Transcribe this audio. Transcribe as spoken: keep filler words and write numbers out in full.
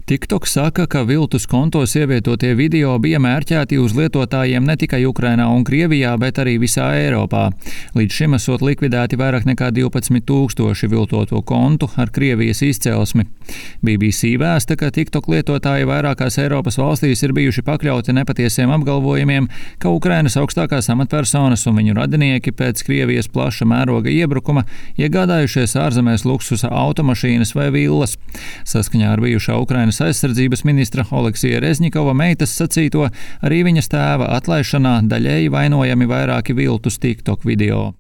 TikTok saka, ka viltus kontos ievietotie video bija mērķēti uz lietotājiem ne tikai Ukrainā un Krievijā, bet arī visā Eiropā. Līdz šim esot likvidēti vairāk nekā divpadsmit tūkstoši viltoto kontu ar Krievijas izcelsmi. B B C vēsta, ka TikTok lietotāji vairākās Eiropas valstīs ir bijuši pakļauti nepatiesiem apgalvojumiem, ka Ukrainas augstākās amatpersonas un viņu radinieki pēc Krievijas plaša mēroga iebrukuma iegādājušies ārzemēs luksusa automašīnas vai villas. Saskaņā ar bijušā Ukrainas aizsardzības ministra Oleksija Rezņikova meitas sacīto, arī viņas tēva atlaišanā daļēji vainojami vairāki viltus TikTok video.